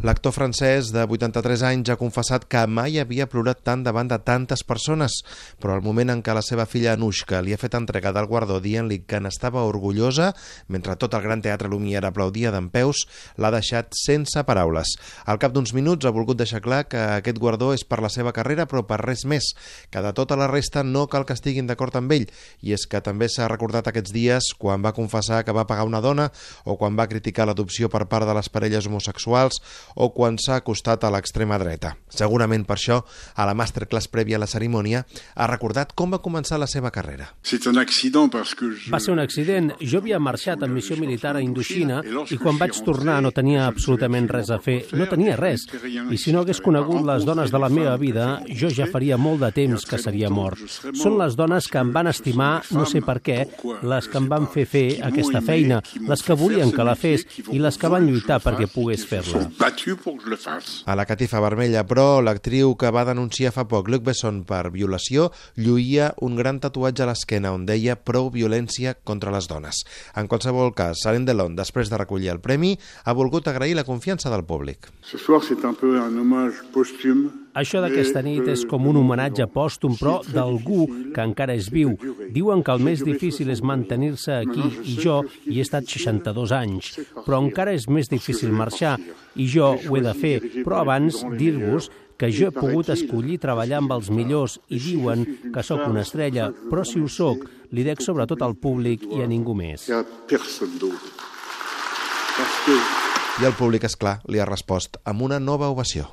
L'actor francès de 83 anys ha confessat que mai havia plorat tant davant de tantes persones, però al moment en què la seva filla Anushka li ha fet entrega del guardó dient-li que n'estava orgullosa, mentre tot el Gran Teatre Lumière aplaudia dempeus, l'ha deixat sense paraules. Al cap d'uns minuts ha volgut deixar clar que aquest guardó és per la seva carrera, però per res més, que de tota la resta no cal que estiguin d'acord amb ell, i és que també s'ha recordat aquests dies quan va confessar que va pagar una dona o quan va criticar l'adopció per part de les parelles homosexuals o quan s'ha acostat a l'extrema dreta. Segurament per això, a la masterclass prèvia a la cerimònia, ha recordat com va començar la seva carrera. Va ser un accident. Jo havia marxat en missió militar a Indoxina i quan vaig tornar no tenia absolutament res a fer. No tenia res. I si no hagués conegut les dones de la meva vida, jo ja faria molt de temps que seria mort. Són les dones que em van estimar, no sé per què, les que em van fer aquesta feina, les que volien que la fes i les que van lluitar perquè pogués fer-la. A la catifa vermella, però, l'actriu que va denunciar fa poc Luc Besson per violació lluïa un gran tatuatge a l'esquena on deia prou violència contra les dones. En qualsevol cas, Alain Delon, després de recollir el premi, ha volgut agrair la confiança del públic. Això d'aquesta nit és com un homenatge pòstum, però d'algú que encara és viu. Diuen que el més difícil és mantenir-se aquí i jo hi he estat 62 anys, però encara és més difícil marxar i jo ho he de fer. Però abans dir-vos que jo he pogut escollir treballar amb els millors i diuen que sóc una estrella, però si ho sóc, li dec sobretot al públic i a ningú més. I el públic, és clar, li ha respost amb una nova ovació.